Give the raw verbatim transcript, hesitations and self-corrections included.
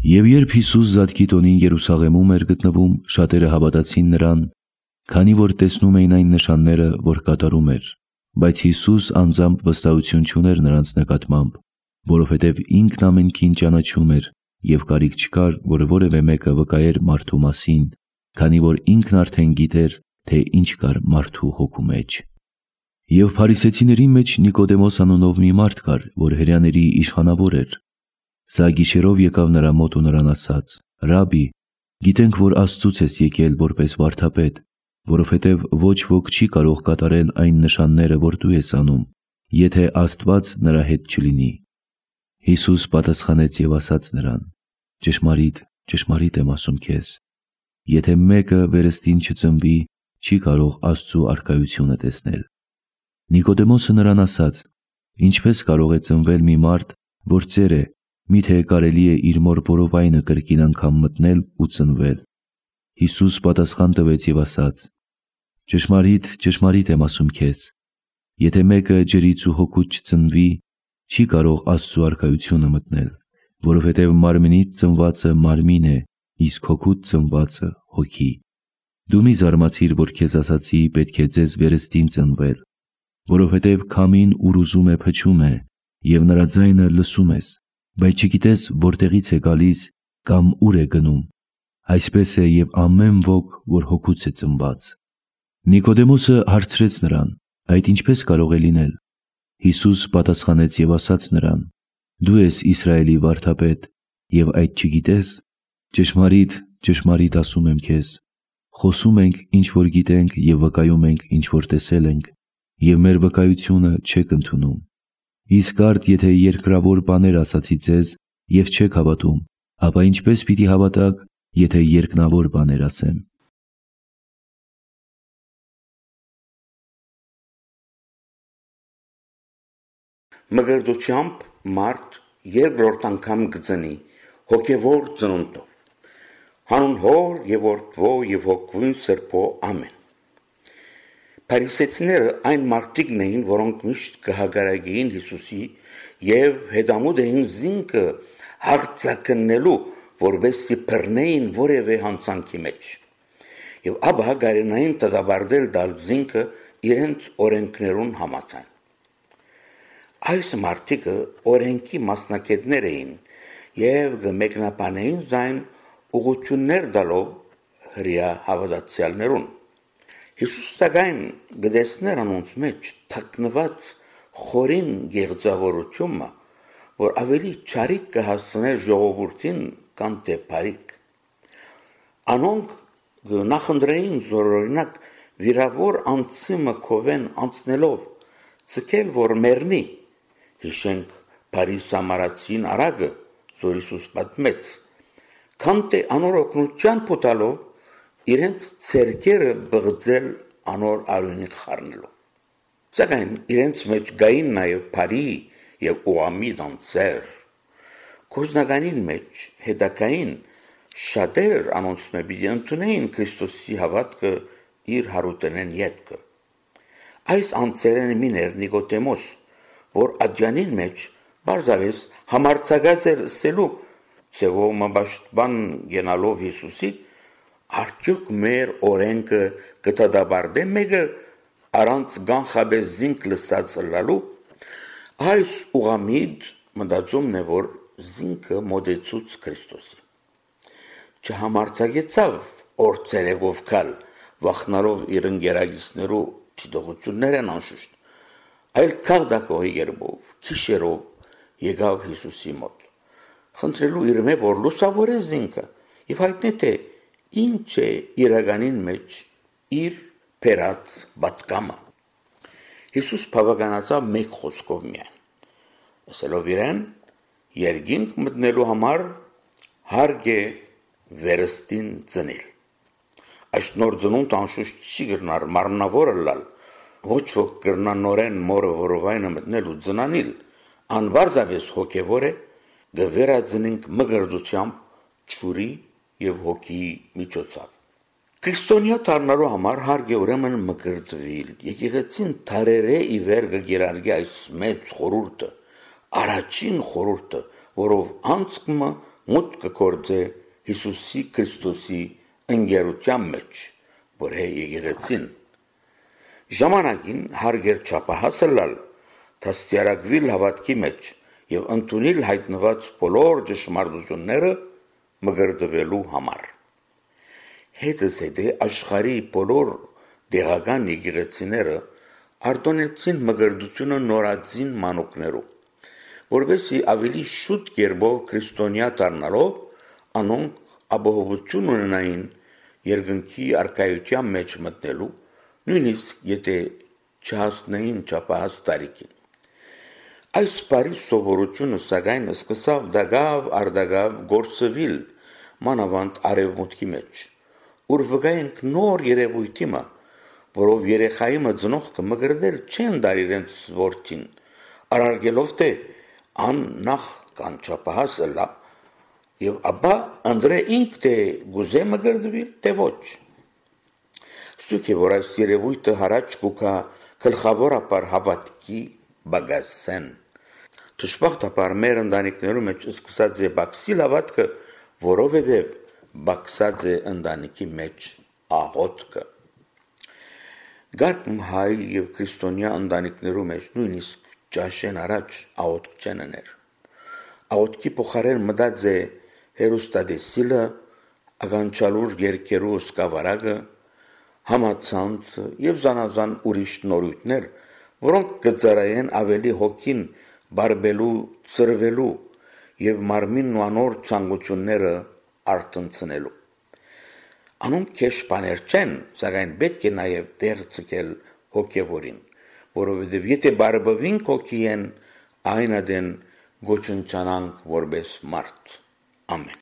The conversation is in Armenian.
Եվ երբ Հիսուս Զատկի տոնին Երուսաղեմում էր գտնվում, շատերը հավատացին նրան, քանի որ տեսնում էին այն նշանները, որ կատարում էր, բայց Հիսուս անձամբ վստահություն չուներ նրանց նկատմամբ, որովհետև ինքն ամենքին ճանաչում էր և կարիք չկար, որ որևէ մեկը վկայեր մարդու մասին, քանի որ ինքն արդեն գիտեր, թե ինչ կար մարդու հոգու մեջ։ Եվ փարիսեցիների մեջ Նիկոդեմոս անունով մի մարդ կար, որ հրեաների իշխանավոր էր։ Սա գիշերով եկավ նրա մոտ ու նրան ասաց. «Ռաբբի, գիտենք, որ Աստծուց ես եկել որպես վարդապետ, որովհետև ոչ ոք չի կարող կատարել այն նշանները, որ դու ես անում, եթե Աստված նրա հետ չլինի»։ Հիսուս պատասխանեց և ասաց նրան. «Ճշմարիտ, ճշմարիտ եմ ասում քեզ. եթե մեկը վերստին չծնվի, չի կարող Աստծու առկայությունը տեսնել»։ Նիկոդեմոսը նրան ասաց. «Ինչպես կարող է ծնվել մի մարդ, որ ծեր է, միթե կարելի է իր մոր որովայնը կրկին անգամ մտնել ու ծնվել»։ Հիսուս պատասխան տվեց և ասաց. «Ճշմարիտ, ճշմարիտ եմ ասում քեզ. եթե մեկը ջրից ու հոգուց չծնվի, չի կարող Աստծու առկայությունը մտնել, որովհետև մարմնից ծնվածը մարմին է, իսկ հոգուց ծնվածը հոգի։ Դու մի զարմացիր, որ քեզ ասացի պետք է ձեզ վերստին ծնվել, որովհետև քամին ուր ուզում է փչում է, և նրա ձայնը լսում ես, բայց չգիտես որտեղից է գալիս կամ ուր է գնում։ Այսպես է և ամեն ոք, որ հոգուց է ծնված»։ Նիկոդեմոսը հարցրեց նրան. «Այդ ինչպես կարող է լինել»։ Հիսուս պատասխանեց և ասաց նրան. «Դու ես Իսրայելի վարդապետ և այդ չգիտես։ Ճշմարիտ, ճշմարիտ ասում եմ քեզ. խոսում ենք, ինչ որ գիտենք և վկայում ենք, ինչ որ տեսել ենք, և մեր վկայությունը չեք ընդունում։ Իսկ արդ եթե երկրավոր բաներ ասացի ձեզ և չեք հավատում, ապա ինչպես պիտի հավատաք, եթե երկնավոր բաներ ասեմ»։ Մկրտությամբ մարդ երկրորդ անգամ կծնի հոգևոր ծնունդով, հանուն Հոր և Որդվո և Հոգու Սրբո ամեն։ Փարիսեցիները այն մարդիկն էին, որոնք միշտ կհագարագեին Հիսուսի և հետամուտ էին զինքը հարձակնելու, որպեսզի բռնեին որևէ հանցանքի մեջ, և ապա գարենային դատապարտել տալ զինքը իրենց օրենքներուն համաձայն։ Այս մարդիկը օրենքի մասնակիցներ էին և կմեկնաբանեին զայն ուղղություններ տալով հրեա հավատացյալներուն։ Հիսուս սակայն կտեսներ անոնց մեջ թաքնված խորին գեղձավորությունը, որ ավելի չարիք կհասցներ ժողովրդին, քան թե բարիք։ Անոնք կնախընտրեին զորօրինակ վիրավոր անձի մկովեն անցնելով ցկել, որ մեռնի, հիշենք բարի սամարացին արագը, որ Հիսուս պատմեց, քան թե անոր օգնության փութալով իրենց ցերկերը բղձել անոր արյունի խառնելով։ Սակայն իրենց մեջ կային նաև բարի և ուղղամիտ անձեր։ Գործնականին մեջ հետագային շատեր անոնց մեջ պիտի ընդունեին Քրիստոսի հավատքը իր հարութենեն ետքը։ Այս անձերեն մին էր Նիկոդեմոս, որ ադյանին մեջ բարձավես համարձակած էր սելու ձևով մբաշտման գենալով Հիսուսի, արդյոք մեր օրենքը կդատապարտե մեկը առանց կանխապես զինք լսած լալու։ Այս ուղղամիտ մտածումն է, որ զինքը մոտեցուց Քրիստոսի։ Չհամարձակեցավ օրցերեգով կալ, վախնալով իր ընկերակիցներու դիտողություններն անշուշտ, այլ քաղաքակոյի երբով, քիշերով եկավ Հիսուսի մոտ, խնդրելու իր մե որ լուսավորե զինքը և հայտնի թե ինչ է իրականին մեջ իր բերած պատկամը։ Հիսուս բավականացավ մեկ խոսքով միայն, ասելով իրեն երկինք մտնելու համար հարկ է վերստին ծնել։ Այս նոր ծնունդ անշուշտ չի կրնար մարմնավորը լալ, ոչ ոք կրնա նորեն մորը որովայնը մտնել ու ծնանիլ, անբարձավես հոգևոր է, գվերածնինք մկրտությամբ ջուրի և հոգիի միջոցով։ Քրիստոնյա դառնալու համար հարկ է ուրեմն մկրտվել, եկեղեցին դարերե ի վեր կկիրառի այս մեծ խորհուրդը, առաջին խորհուրդը, որով անցկումը մուտք կգործե Հիսուսի Քրիստոսի ընկերության մեջ, որ է եկեղեցին։ Ժամանակին հարգեր չափահասը լալ, դաստիարակվիլ հավատքի մեջ եւ ընդունել հայտնված բոլոր ճշմարտությունները մգրդվելու համար։ Հետս հետե աշխարհի բոլոր դեղական եկեղեցիները արտոնեցին մգրդությունը նորածին մանուկներով, որովհետեւ ավելի շուտ կերպով քրիստոնյա դառնալով անոնք ապահովություն ունենային երկնքի արքայության մեջ մտնելու, նույնիսկ եթե չհասնեին չափահաս տարիքին։ Այս բարի սովորությունը սակայն սկսավ դագավ արդագավ գործվել մանավանդ արևմուտքի մեջ, ուր վկայենք նոր երևույթի մը, որով երեխայի մը ծնողքը մգրդել չեն դար իրենց որդին, արարգելով թե ան նախ կան չափահաս լա, եւ ապա անդրե ինք թե գուզե մգրդվել, թե ոչ։ Ստուք է, որ այս երևույթը հարաճ կուքա գլխավորապես հավատքի բագասեն։ Դժբախտաբար մեր ընտանիքներում մեջ սկսած է բաքսիլ հավատքը, որովհետև բաքսած է ընտանիքի մեջ աղոթքը։ Գարկ հայ եւ քրիստոնյա ընտանիքներում մեջ նույնիսկ ճաշեն առաջ աղոթք չեն աներ։ Աղոթքի փոխարեն մտած է հերոստատեսիլը, ականջալուր երկերու սկավարակը, համացանցը եւ զանազան ուրիշ նորույթներ, որոնք կծարայեն ավելի հոգին բարբելու, ծրվելու եւ մարմինն ու անոր ցանկությունները արտնցնելու։ Անոնք քեշ բաներ չեն, սակայն պետք է նաեւ դեր ցկել հոգեվորին, որովհետեւ եթե բարբվինք հոգի են, այն ադեն գոչնչանանք որպես մարդ։ Ամեն։